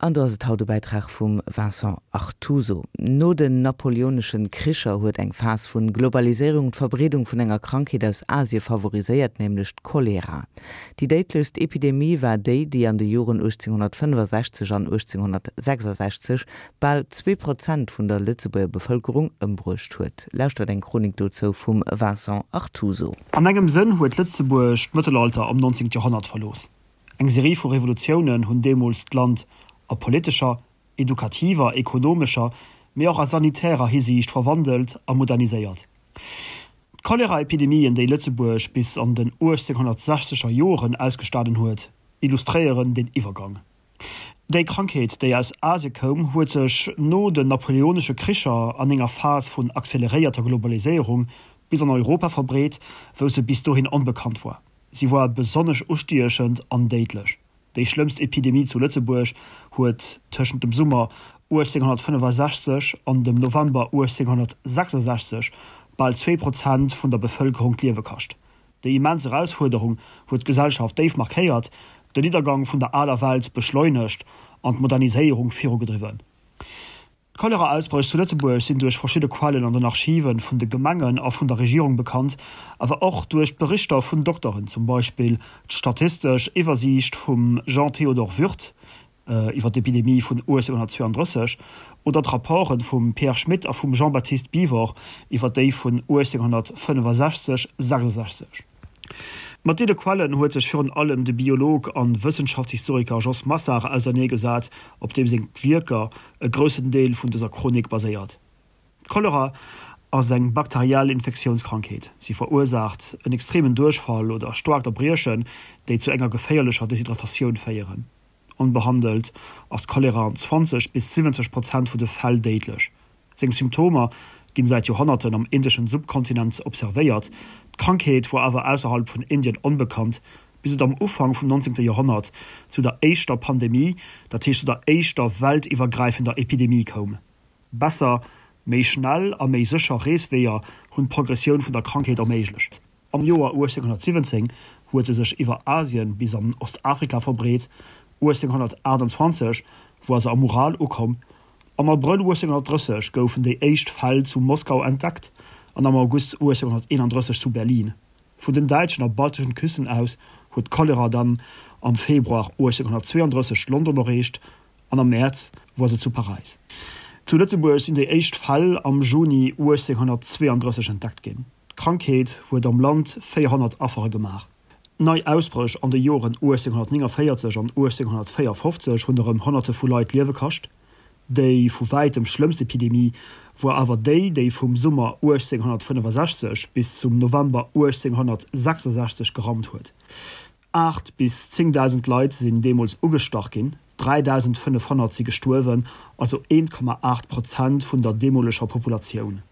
An do ass et haut e Bäitrag vum Vincent Artuso. No den napoleoneschen Kricher huet eng Phas vun Globaliséierung d'Verbreedung vun enger Krankheet aus Asie favoriséiert, nämlech d'Cholera. Déi déidlechst Epidemie war déi, déi an de Joren 1865 an 1866 bal 2% vun der Lëtzebuerger Bevëlkerung ëmbruecht huet. Lauschtert eng Chronik dozou vum Vincent Artuso. An engem Sënn huet Lëtzebuerg d'Mëttelalter am 19. Joerhonnert verlooss. Eng Serie vu Revolutiounen hunn deemools d'Land a politescher, edukativer, ekonomescher, mee och a sanitärer Hisiicht verwandelt a moderniséiert. D'Choleraepidemien, déi Lëtzebuerg bis an den 1860er Joren ausgestanen huet, illustréieren deen Iwwergang. Déi Krankheet, déi aus Asie koum, huet sech no den napoleonesche Kricher an enger Phas vun acceleréierter Globaliséierung bis an Europa verbreet, wou se bis dohin onbekannt war. Si war besonnesch ustiechend an déidlech. Déi schlëmmst Epidemie zu Lëtzebuerg huet tëschent dem Summer 1865 an dem November 1866 bal 2% vun der Bevëlkerung d'Liewe kascht. Déi immens Erausfuerderung huet d'Gesellschaft déif markéiert, den Niddergang vun der aler Welt beschleunegt an d'Moderniséierung virugedriwwen. D'Cholera-Ausbréch zu Lëtzebuerg sinn duerch verschidde Quellen an den Archive vun de Gemengen a vun der Regierung bekannt, awer och duerch d'Berichter vun Dokteren, zum Beispill d'statistesch Iwwersiicht vum Jean-Théodore Würth iwwer d'Epidemie vun 1832 oder d'Rapporte vum Pierre Schmit a vum Jean-Baptiste Bivort iwwer déi vun 1865, 66. Mat deene Quellen huet sech virun allem de Biolog a Wëssenschaftshistoriker Jos Massard auserneegesat, op deem seng Wierker e groussen Deel vun dëser Chronik baséiert. D'Cholera ass eng bakteriell Infektiounskrankheet. Si verursaacht en extremen Duerchfall oder staarkt Erbriechen, déi zu enger geféierlecher Deshydratatioun féieren. Onbehandelt ass d'Cholera an 20 bis 70 Prozent vun de Fäll déidlech. Seng Symptomer ginn säit Joerhonnerten am indeschen Subkontinent observéiert, d'Krankheet wor awer ausserhalb vun Indien onbekannt, bis et am Ufank vum 19. Joerhonnert zu der éischter Pandemie, dat heescht zu der éischter weltiwwergräifender Epidemie koum. Besser, méi schnell a méi sécher Reesweeër hunn d'Progressioun vun der Krankheet erméiglecht. Am Joer 1817 huet se sech iwwer Asien bis an Ostafrika verbreet, 1828 war se am Ural ukomm. Am Abrëll 1830 goufen déi éischt Fäll zu Moskau entdeckt an am August 1831 zu Berlin. Vun den däitschen a balteschen Küsten aus huet d'Cholera dann am Februar 1832 London erreecht an am Mäerz war se zu Paräis. Zu Lëtzebuerg sinn déi éischt Fäll am Juni 1832 entdeckt ginn. D'Krankheet huet am Land 400 Affere gemaach. Nei Ausbréch an de Joren 1849 an 1854 hunn erëm Honnerte vu Leit d'Liewe kascht. Déi vu wäitem schlëmmst Epidemie war awer déi, déi vum Summer 1865 bis zum November 1866 gerammt huet. 8 bis 10.000 Leit sinn deemools ugestach ginn, 3.500 si gestuerwen, also 1,8 Prozent vun der deemoleger Populatioun.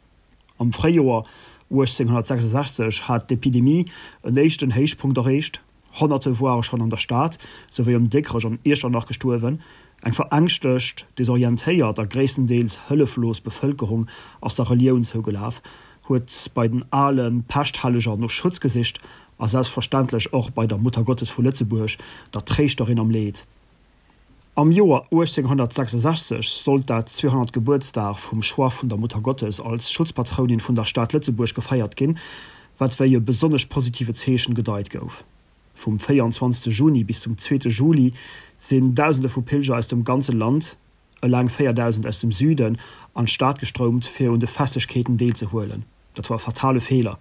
Am Fréijoer 1866 hat d'Epidemie en éischten Héichpunkt erreecht, Honnerte woare schonn an der Stad souwéi ëm Dikrech an Iechternach gestuerwen. Eng verängschtegt, desorientéiert a gréisstendeels hëlleflos Bevëlkerung ass der Relioun zougelaf, huet bei den ale Peschthelleger no Schutz gesicht a selbstverständlech och bei der Muttergottes vu Lëtzebuerg, der Tréischterin am Leed. Am Joer 1866 sollt dat 200. Gebuertsdag vum Choix vun der Muttergottes als Schutzpatrounin vun der Stad Lëtzebuerg gefeiert ginn, wat wéi e besonnesch positive Zeechen gedeit gouf. Vum 24. Juni bis zum zweete Juli sinn Dausende vu Pilger aus dem ganze Land, eleng 4.000 aus dem Süden, an d'Stad gestroumt, fir un de Festlechkeeten deelzehuelen. Dat war e fatale Feeler.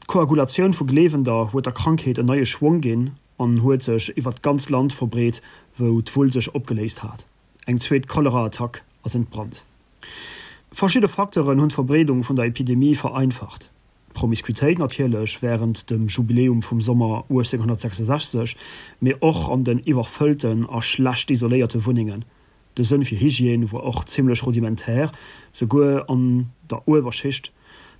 D'Koagulatioun vu Gleewender huet der Krankheet en neie Schwong ginn an huet sech iwwer d'ganz Land verbreet, wou d'Wull sech opgeléist hat. Eng zweet Cholera-Attack ass entbrannt. Verschidde Facteuren hunn d'Verbreedung vun der Epidemie vereinfacht, D'Promiskuitéit natierlech wärend dem Jubiläum vum Sommer 1866, mee och an den iwwerfëllten a schlecht isoléierte Wunnengen. De Sënn fir Hygiène wor och zimmlech rudimentär, souguer an der Uewerschicht.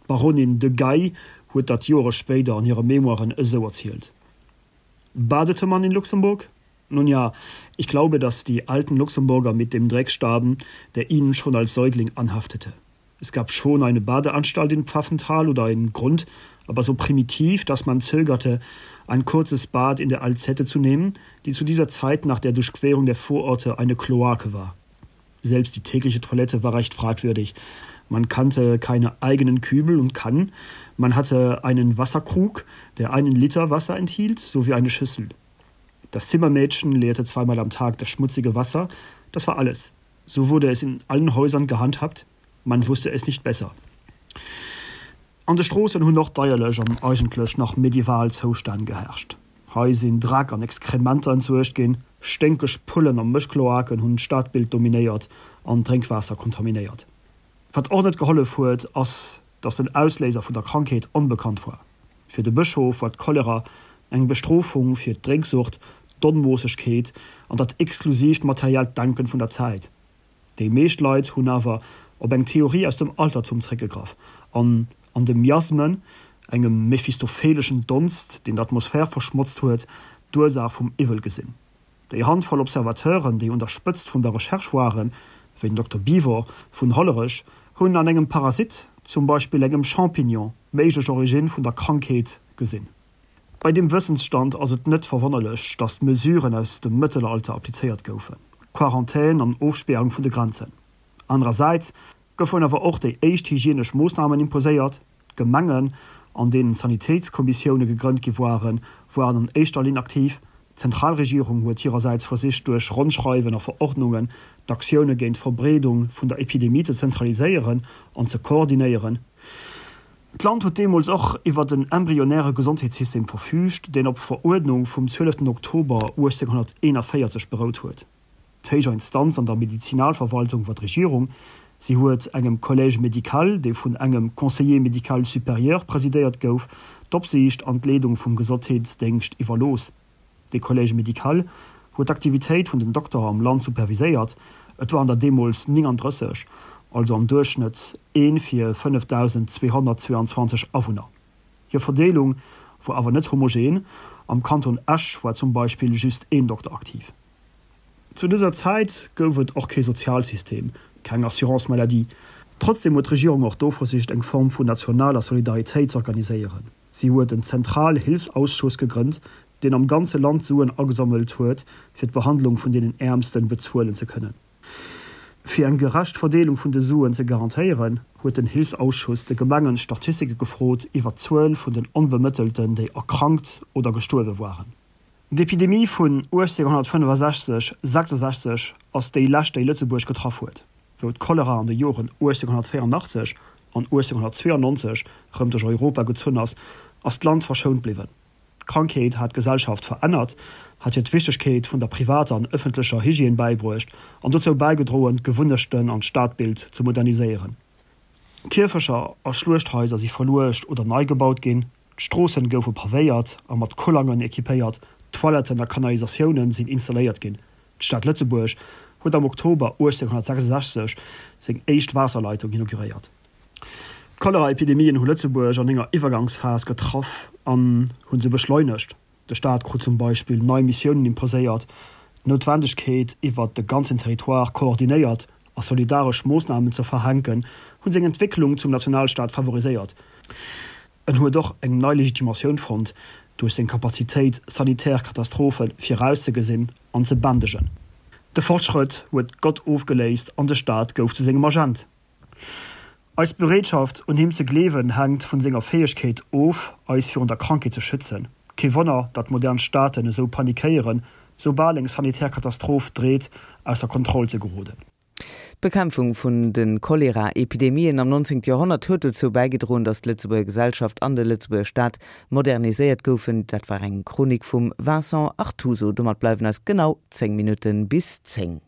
D'Baronin de Gaille huet dat Joere spéider an hire Memoiren esou erzielt. Badete man in Luxemburg? Nun ja, ich glaube, dass die alten Luxemburger mit dem Dreck starben, der ihnen schon als Säugling anhaftete. Es gab schon eine Badeanstalt in Pfaffenthal oder einen Grund, aber so primitiv, dass man zögerte, ein kurzes Bad in der Alzette zu nehmen, die zu dieser Zeit nach der Durchquerung der Vororte eine Kloake war. Selbst die tägliche Toilette war recht fragwürdig. Man kannte keine eigenen Kübel und Kannen, man hatte einen Wasserkrug, der einen Liter Wasser enthielt, sowie eine Schüssel. Das Zimmermädchen leerte zweimal am Tag das schmutzige Wasser, das war alles. So wurde es in allen Häusern gehandhabt, man wusste es nicht besser. An de Stroossen hunn och deierlech an eigentlech nach medieval Zoustänn geherrscht. Hei sinn Dreck an Exkrementer entsuergt ginn, sténkeg Pullen a Mëschkloaken hunn d'Stadbild dominéiert an d'Drénkwaasser kontaminéiert. Wat och net gehollef huet, ass, datt den Ausléiser vun der Krankheet onbekannt war. Fir de Bëschof war d'Cholera eng Bestrofung fir d'Drénksucht, d'Onmoossegkeet an dat exklusiivt materiellt Denken vun der Zäit. Déi meescht Leit hunn awer op eng Theorie aus dem Altertum zréckgegraff an an de Miasmen, engem mephistophelischen Donst, deen d'Atmosphär verschmotzt huet, d'Ursaach vum Iwwel gesinn. Déi Handvoll Observateuren, déi un der Spëtzt vun der Recherche waren, wéi den Dokter Bivor vun Hollerech, hunn an engem Parasit, zum Beispill engem Champignon, d'méiglech Origine vun der Krankheet gesinn. Bei deem Wëssensstand ass et net verwonnerlech, datt Mesuren aus dem Mëttelalter applizéiert goufen, Quarantän an Ofspäerung vun de Grenzen. Anerersäits goufen awer och déi éischt hygienesch Moossnamen imposéiert. D'Gemengen, an deenen Sanitéitskommissioune gegrënnt gi waren, waren an éischter Linn aktiv. D'Zentralregierung huet hirersäits versicht, duerch Ronnschreiwen a Verordnungen d'Aktioune géint d'Verbreedung vun der Epidemie ze zentraliséieren an ze koordinéieren. D'Land huet deemools och iwwert en embryonäre Gesondheetssystem verfüügt, deen op Veruerdnung vum 12 Oktober 1841 berout huet. D'héijer Instanz an der Medizinalverwaltung war d'Regierung. Si huet engem Collège médical, dee vun engem Conseiller médical supérieur presidéiert gouf, d'Opsiicht an d'Leedung vum Gesondheetsdéngscht iwwerlooss. De Collège médical huet d'Aktivitéit vun den Dokterer am Land superviséiert, et waren der deemools 39, also am Duerchschnëtt ee fir 5.222 Awunner. Hir Verdeelung wor awer net homogen, am Kanton Esch war zum Beispill just een Dokter aktiv. Zu dëser Zäit gouf et och kee Sozialsystem, keng Assurance maladie. Trotzdeem huet d'Regierung och do versicht eng Form vun nationaler Solidaritéit z'organiséieren. Si huet en Zentralhilfsausschuss gegrënnt, deen am ganze Land Suen agesammelt huet, fir d'Behandlung vun deenen Äermsten bezuelen ze kënnen. Fir eng gerecht Verdeelung vun de Suen ze garantéieren, huet den Hilfsausschuss de Gemengen Statistike gefrot iwwer d'Zuel vun den Onbemëttelten, déi erkrankt oder gestuerwe waren. D'Epidemie vun 1865, 66 ass déi lescht, déi Lëtzebuerg getraff huet. Wou d'Cholera an de Joren 1884 an 1892 rëm duerch Europa gezunn ass, ass d'Land verschount bliwwen. D'Krankheet hat d'Gesellschaft verännert, hat hir d'Wichtegkeet vun der privater an ëffentlecher Hygiène bäibruecht an dozou bäigedroen, d'Gewunnechten an d'Stadbild ze moderniséieren. Kierfecher a Schluechthaiser si verluecht oder nei gebaut ginn. D'Stroossen goufe pavéiert a mat Kollangen equipéiert, Toiletten a Kanalisatiounen sinn installéiert ginn. D'Stad Lëtzebuerg huet am Oktober 1866 seng éischt Waasserleitung inauguréiert. D'Choleraepidemien hu Lëtzebuerg an enger Iwwergangsphas getraff an hu se beschleunegt. De Staat krut zum Beispill nei Missiounen imposéiert, d'Noutwendegkeet, iwwert de ganzen Territoire koordinéiert a solidaresch Moossnamen ze verhänken, hunn seng Entwécklung zum Nationalstaat favoriséiert. En huet och eng nei Legitimatioun fonnt duerch seng Kapazitéit, sanitär Katastrophe virauszegesinn an ze bändegen. De Fortschrëtt huet Gott ofgeléist an de Staat gouf zu sengem Agent. Eis Bereetschaft, un him ze gleewen, hänkt vun senger Fäegkeet of, eis virun der Krankheet ze schützen. Kee Wonner, datt modern Staaten esou panikéieren, soubal eng sanitär Katastroph dreet, ausser Kontroll ze geroden. D'Bekämpfung vun de Cholera-Epidemien am 19. Joerhonnert huet dozou bäigedroen, datt d'Lëtzebuerger Gesellschaft an de Lëtzebuerger Staat moderniséiert goufen. Dat war eng Chronik vum Vincent Artuso. Domat bleiwen eis genau 10 Minutte bis 10.